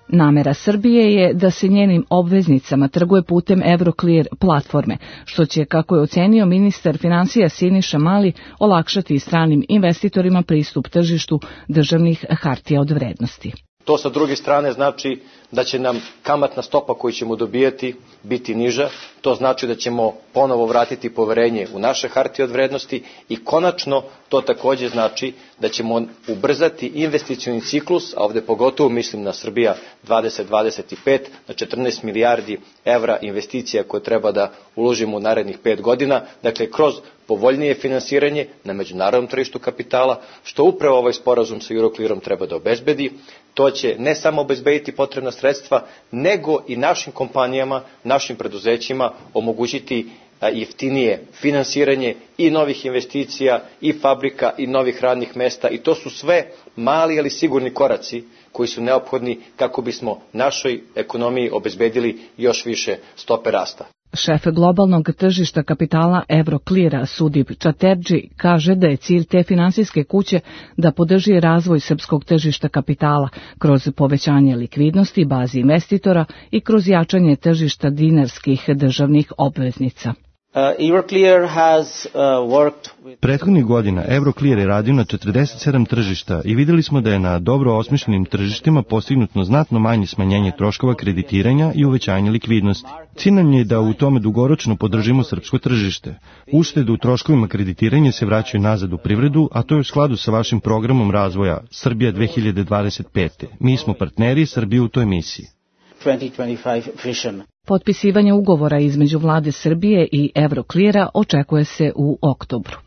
Namera Srbije je da se njenim obveznicama trguje putem Euroclear platforme, što će, kako je ocenio ministar financija Siniša Mali, olakšati stranim investitorima pristup tržištu državnih hartija od vrednosti. To sa druge strane znači da će nam kamatna stopa koju ćemo dobijati biti niža, to znači da ćemo ponovo vratiti poverenje u naše hartije od vrednosti i konačno to takođe znači da ćemo ubrzati investicioni ciklus, a ovde pogotovo mislim na Srbija dvadeset dvadeset pet, na četrnaest milijardi evra investicija koje treba da uložimo u narednih pet godina, dakle kroz povoljnije finansiranje na međunarodnom tržištu kapitala, što upravo ovaj sporazum sa Euroclearom treba da obezbedi. To će ne samo obezbediti potrebna sredstva, nego i našim kompanijama, našim preduzećima omogućiti jeftinije finansiranje i novih investicija, i fabrika, i novih radnih mesta. I to su sve mali, ali sigurni koraci koji su neophodni kako bismo našoj ekonomiji obezbedili još više stope rasta. Šef globalnog tržišta kapitala Eurocleara Sudip Čaterdži kaže da je cilj te finansijske kuće da podrži razvoj srpskog tržišta kapitala kroz povećanje likvidnosti bazi investitora i kroz jačanje tržišta dinarskih državnih obveznica. Prethodnih godina Euroclear je radio na četrdeset sedam tržišta i videli smo da je na dobro osmišljenim tržištima postignuto znatno manje smanjenje troškova kreditiranja i uvećanje likvidnosti. Cilj nam je da u tome dugoročno podržimo srpsko tržište. Uštede u troškovima kreditiranja se vraćaju nazad u privredu, a to je u skladu sa vašim programom razvoja Srbija dve hiljade dvadeset pete. Mi smo partneri Srbije u toj misiji. Potpisivanje ugovora između vlade Srbije i Eurocleara očekuje se u oktobru.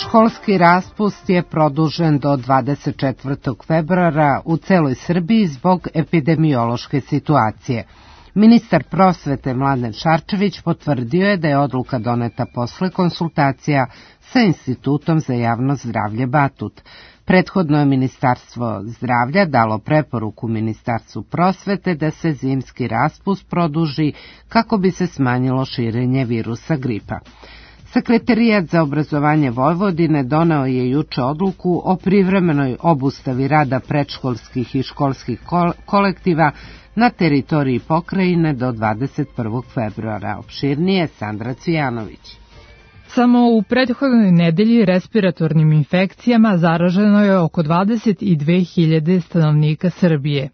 Školski raspust je produžen do dvadeset četvrtog februara u celoj Srbiji zbog epidemiološke situacije. Ministar prosvete Mladen Šarčević potvrdio je da je odluka doneta posle konsultacija sa Institutom za javno zdravlje Batut. Prethodno je Ministarstvo zdravlja dalo preporuku Ministarstvu prosvete da se zimski raspust produži kako bi se smanjilo širenje virusa gripa. Sekretarijat za obrazovanje Vojvodine doneo je juče odluku o privremenoj obustavi rada predškolskih i školskih kolektiva na teritoriji pokrajine do dvadeset prvog februara. Opširnije Sandra Cvijanović. Samo u prethodnoj nedelji respiratornim infekcijama zaraženo je oko dvadeset dve hiljade stanovnika Srbije.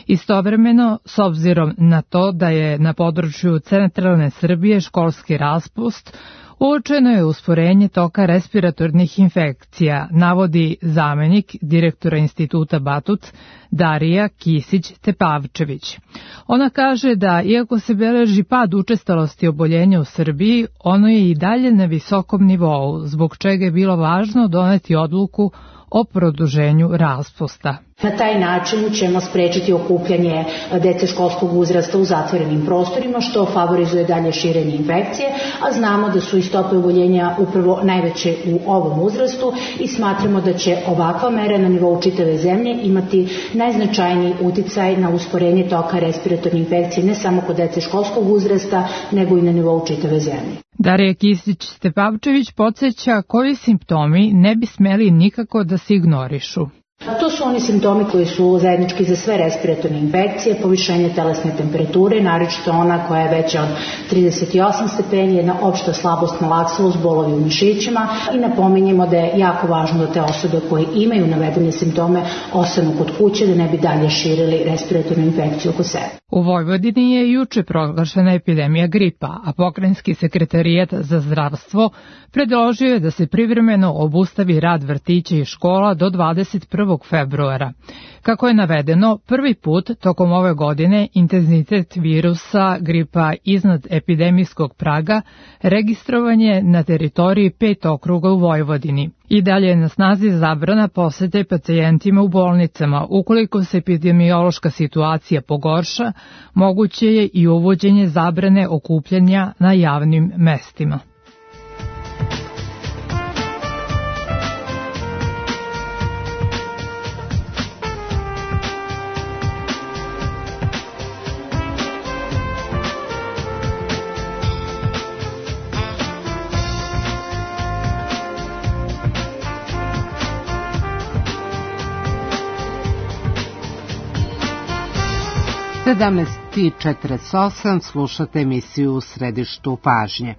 Istovremeno, s obzirom na to da je na području centralne Srbije školski raspust, uočeno je usporenje toka respiratornih infekcija, navodi zamenik direktora Instituta Batut Darija Kisić-Tepavčević. Ona kaže da, iako se beleži pad učestalosti oboljenja u Srbiji, ono je i dalje na visokom nivou, zbog čega je bilo važno doneti odluku o produženju raspusta. Na taj način ćemo sprečiti okupljanje dece školskog uzrasta u zatvorenim prostorima, što favorizuje dalje širenje infekcije, a znamo da su i stope oboljenja upravo najveće u ovom uzrastu i smatramo da će ovakva mera na nivou čitave zemlje imati najznačajniji uticaj na usporenje toka respiratorne infekcije ne samo kod dece školskog uzrasta, nego i na nivou čitave zemlje. Darija Kisić-Tepavčević podsjeća koji simptomi ne bi smeli nikako da se ignorišu. To su oni simptomi koji su zajednički za sve respiratorne infekcije, povišenje telesne temperature, naročito ona koja je veća od trideset osam stepeni, jedna opšta slabost, malaksalost, bolovi u mišićima i napominjemo da je jako važno da te osobe koje imaju navedene simptome ostanu kod kuće da ne bi dalje širili respiratornu infekciju oko sebe. U Vojvodini je juče proglašena epidemija gripa, a pokrajinski sekretarijat za zdravstvo predložio je da se privremeno obustavi rad vrtića i škola do dvadeset prvog februara. Kako je navedeno, prvi put tokom ove godine intenzitet virusa gripa iznad epidemijskog praga registrovan je na teritoriji pet okruga u Vojvodini. I dalje je na snazi zabrana posete pacijentima u bolnicama. Ukoliko se epidemiološka situacija pogorša, moguće je i uvođenje zabrane okupljanja na javnim mestima. sedamnaest četrdeset osam slušate emisiju U središtu pažnje.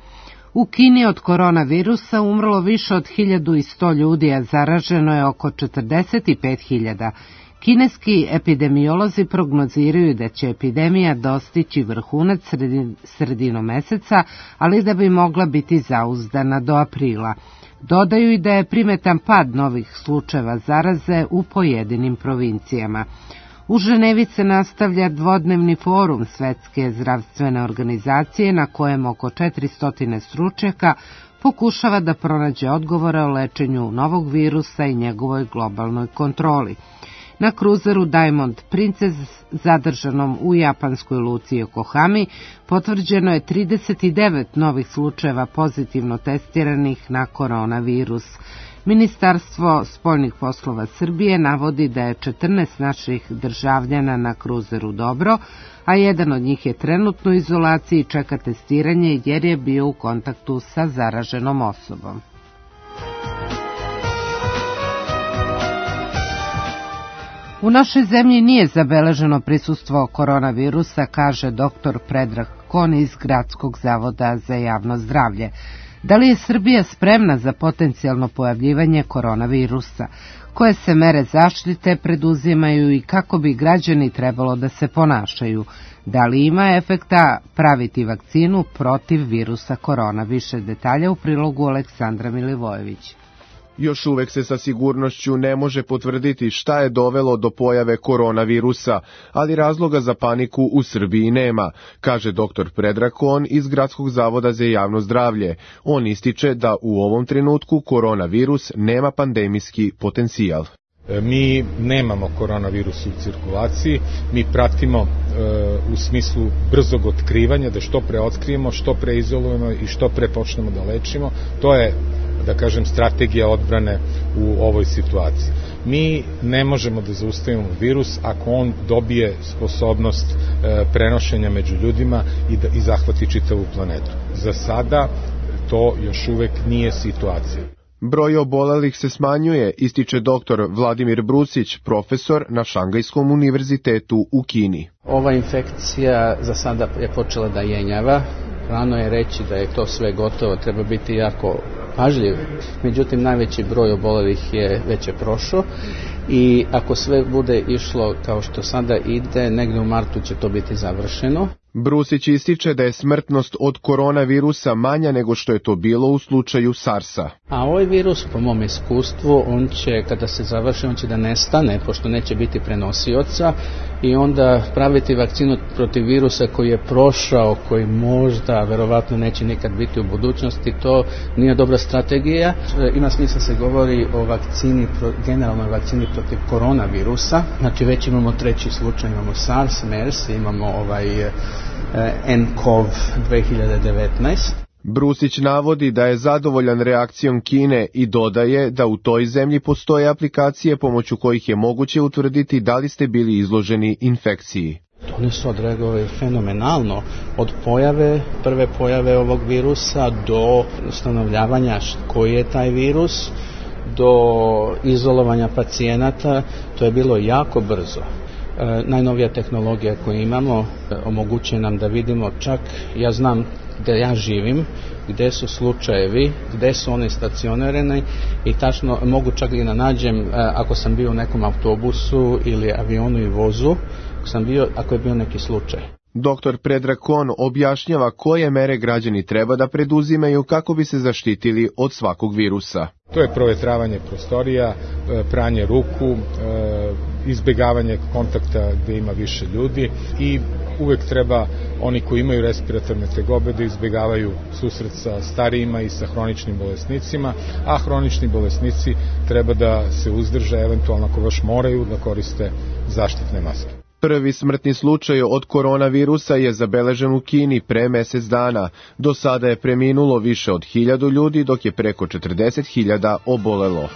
U Kini od koronavirusa umrlo više od hiljadu sto ljudi, a zaraženo je oko četrdeset pet hiljada. Kineski epidemiolozi prognoziraju da će epidemija dostići vrhunac sredin, sredinom meseca, ali da bi mogla biti zauzdana do aprila. Dodaju i da je primetan pad novih slučajeva zaraze u pojedinim provincijama. U Ženevi se nastavlja dvodnevni forum Svetske zdravstvene organizacije na kojem oko četiristo stručnjaka pokušava da pronađe odgovore o lečenju novog virusa i njegovoj globalnoj kontroli. Na kruzeru Diamond Princess, zadržanom u japanskoj luci Yokohami, potvrđeno je trideset devet novih slučajeva pozitivno testiranih na koronavirus. Ministarstvo spoljnih poslova Srbije navodi da je četrnaest naših državljana na kruzeru dobro, a jedan od njih je trenutno u izolaciji i čeka testiranje jer je bio u kontaktu sa zaraženom osobom. U našoj zemlji nije zabeleženo prisustvo koronavirusa, kaže doktor Predrag Kon iz Gradskog zavoda za javno zdravlje. Da li je Srbija spremna za potencijalno pojavljivanje koronavirusa? Koje se mere zaštite preduzimaju i kako bi građani trebalo da se ponašaju? Da li ima efekta praviti vakcinu protiv virusa korona? Više detalja u prilogu Aleksandra Milivojević. Još uvek se sa sigurnošću ne može potvrditi šta je dovelo do pojave koronavirusa, ali razloga za paniku u Srbiji nema, kaže doktor Predrag Kon iz Gradskog zavoda za javno zdravlje. On ističe da u ovom trenutku koronavirus nema pandemijski potencijal. Mi nemamo koronavirus u cirkulaciji, mi pratimo e, u smislu brzog otkrivanja, da što pre otkrijemo, što pre izolujemo i što pre počnemo da lečimo. To je, da kažem, strategija odbrane u ovoj situaciji. Mi ne možemo da zaustavimo virus ako on dobije sposobnost e, prenošenja među ljudima i, da, i zahvati čitavu planetu. Za sada to još uvek nije situacija. Broj obolelih se smanjuje, ističe doktor Vladimir Brusić, profesor na Šangajskom univerzitetu u Kini. Ova infekcija za sada je počela da jenjava. Rano je reći da je to sve gotovo, treba biti jako pažljiv. Međutim, najveći broj obolelih je već je prošao i ako sve bude išlo kao što sada ide, negde u martu će to biti završeno. Brusić ističe da je smrtnost od koronavirusa manja nego što je to bilo u slučaju SARS-a. A ovaj virus, po mom iskustvu, on će, kada se završi, on će da nestane, pošto neće biti prenosioca, i onda praviti vakcinu protiv virusa koji je prošao, koji možda, verovatno neće nikad biti u budućnosti, to nije dobra strategija. Ima smisla se govori o vakcini, generalnoj vakcini protiv koronavirusa, znači već imamo treći slučaj, imamo SARS, MERS, imamo ovaj en kov dve hiljade devetnaest. Brusić navodi da je zadovoljan reakcijom Kine i dodaje da u toj zemlji postoje aplikacije pomoću kojih je moguće utvrditi da li ste bili izloženi infekciji. Oni su odreagovali fenomenalno od pojave, prve pojave ovog virusa do ustanovljavanja koji je taj virus, do izolovanja pacijenata, to je bilo jako brzo. E, najnovija tehnologija koju imamo e, omogućuje nam da vidimo čak, ja znam gde ja živim, gde su slučajevi, gde su oni stacionirani i tačno mogu čak i da nađem e, ako sam bio u nekom autobusu ili avionu i vozu, ako, sam bio, ako je bio neki slučaj. Doktor Predrag Kon objašnjava koje mere građani treba da preduzimaju kako bi se zaštitili od svakog virusa. To je provetravanje prostorija, pranje ruku, izbegavanje kontakta gde ima više ljudi i uvek treba oni koji imaju respiratorne tegobe da izbegavaju susret sa starijima i sa hroničnim bolesnicima, a hronični bolesnici treba da se uzdrže, eventualno ako baš moraju da koriste zaštitne maske. Prvi smrtni slučaj od koronavirusa je zabeležen u Kini pre mesec dana. Do sada je preminulo više od hiljadu ljudi, dok je preko četrdeset hiljada obolelo.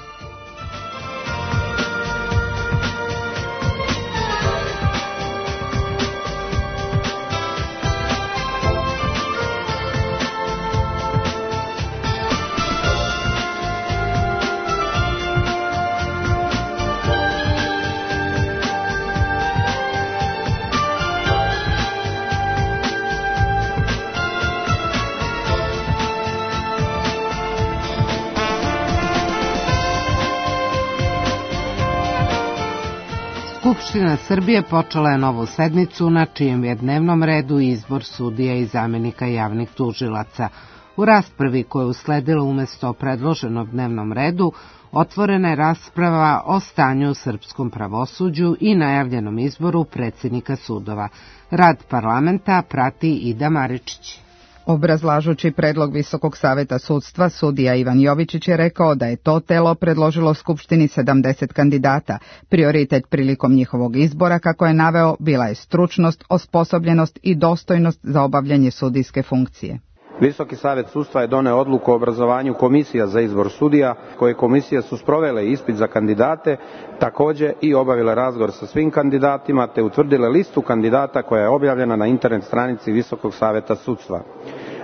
Skupština Srbije počela je novu sednicu na čijem je dnevnom redu izbor sudija i zamenika javnih tužilaca. U raspravi koja je usledila umesto predloženog dnevnom redu, otvorena je rasprava o stanju u srpskom pravosuđu i najavljenom izboru predsjednika sudova. Rad parlamenta prati Ida Maričić. Obrazlažući predlog Visokog saveta sudstva, sudija Ivan Jovičić je rekao da je to telo predložilo Skupštini sedamdeset kandidata. Prioritet prilikom njihovog izbora, kako je naveo, bila je stručnost, osposobljenost i dostojnost za obavljanje sudijske funkcije. Visoki savet sudstva je doneo odluku o obrazovanju komisija za izbor sudija, koje komisije su sprovele ispit za kandidate, takođe i obavile razgovor sa svim kandidatima, te utvrdile listu kandidata koja je objavljena na internet stranici Visokog saveta sudstva.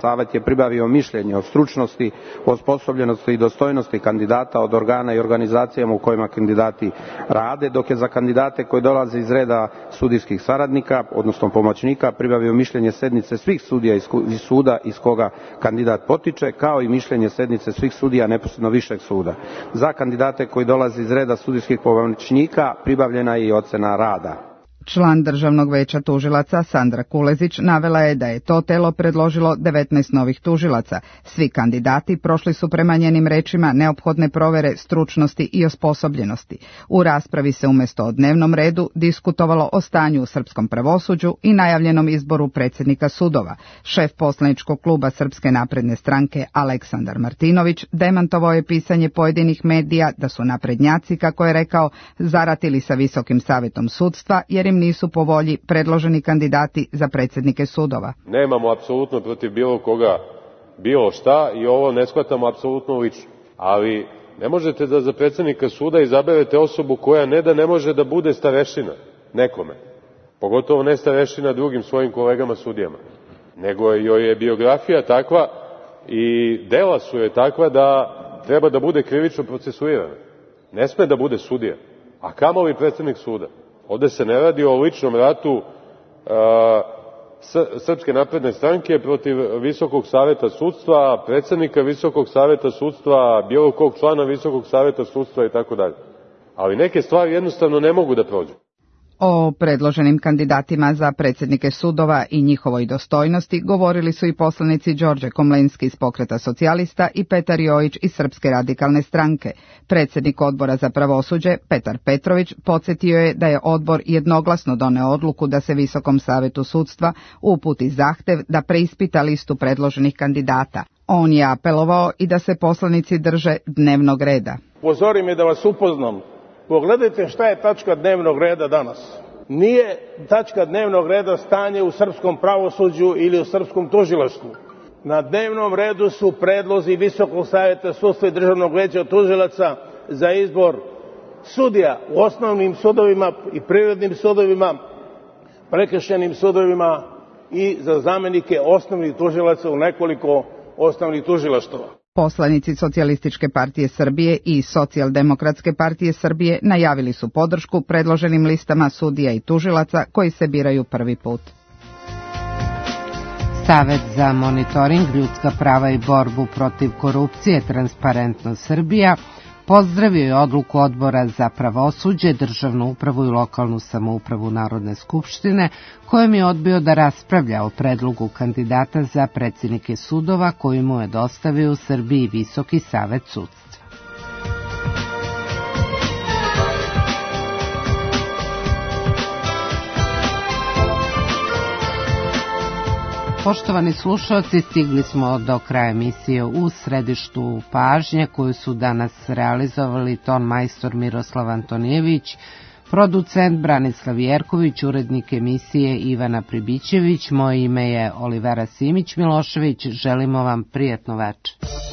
Savet je pribavio mišljenje o stručnosti, osposobljenosti i dostojnosti kandidata od organa i organizacijama u kojima kandidati rade, dok je za kandidate koji dolaze iz reda sudijskih saradnika, odnosno pomoćnika, pribavio mišljenje sednice svih sudija iz suda iz koga kandidat potiče, kao i mišljenje sednice svih sudija neposredno višeg suda. Za kandidate koji dolaze iz reda sudijskih pomoćnika pribavljena je i ocena rada. Član Državnog veća tužilaca Sandra Kulezić navela je da je to telo predložilo devetnaest novih tužilaca. Svi kandidati prošli su prema njenim rečima neophodne provere stručnosti i osposobljenosti. U raspravi se umjesto o dnevnom redu diskutovalo o stanju u srpskom pravosuđu i najavljenom izboru predsjednika sudova. Šef poslaničkog kluba Srpske napredne stranke Aleksandar Martinović demantovao je pisanje pojedinih medija da su naprednjaci, kako je rekao, zaratili sa Visokim savetom sudstva jer im nisu po volji predloženi kandidati za predsjednike sudova. Nemamo apsolutno protiv bilo koga bilo šta i ovo ne shvatamo apsolutno lično. Ali ne možete da za predsjednika suda izaberete osobu koja ne da ne može da bude starešina nekome, pogotovo ne starešina drugim svojim kolegama sudijama, nego joj je biografija takva i dela su je takva da treba da bude krivično procesuirana. Ne sme da bude sudija, a kamoli predsjednik suda. Ovde se ne radi o ličnom ratu a, Srpske napredne stranke protiv Visokog saveta sudstva, predsjednika Visokog saveta sudstva, bilo kog člana Visokog saveta sudstva i tako dalje. Ali neke stvari jednostavno ne mogu da prođu. O predloženim kandidatima za predsjednike sudova i njihovoj dostojnosti govorili su i poslanici Đorđe Komlenski iz Pokreta socijalista i Petar Jojić iz Srpske radikalne stranke. Predsjednik odbora za pravosuđe, Petar Petrović, podsjetio je da je odbor jednoglasno doneo odluku da se Visokom savetu sudstva uputi zahtev da preispita listu predloženih kandidata. On je apelovao i da se poslanici drže dnevnog reda. Pozori me da vas upoznam. Pogledajte šta je tačka dnevnog reda danas. Nije tačka dnevnog reda stanje u srpskom pravosuđu ili u srpskom tužilaštvu. Na dnevnom redu su predlozi Visokog saveta sudstva i Državnog veća tužilaca za izbor sudija u osnovnim sudovima i privrednim sudovima, prekršajnim sudovima i za zamenike osnovnih tužilaca u nekoliko osnovnih tužilaštava. Poslanici Socijalističke partije Srbije i Socijaldemokratske partije Srbije najavili su podršku predloženim listama sudija i tužilaca koji se biraju prvi put. Savet za monitoring, ljudska prava i borbu protiv korupcije Transparentno Srbija pozdravio je odluku Odbora za pravosuđe, državnu upravu i lokalnu samoupravu Narodne skupštine, kojom je odbio da raspravlja o predlogu kandidata za predsjednike sudova koji mu je dostavio u Srbiji Visoki savet sudstva. Poštovani slušalci, stigli smo do kraja emisije U središtu pažnje koju su danas realizovali ton majstor Miroslav Antonijević, producent Branislav Jerković, urednik emisije Ivana Pribićević, moje ime je Olivera Simić Milošević, želimo vam prijatno večer.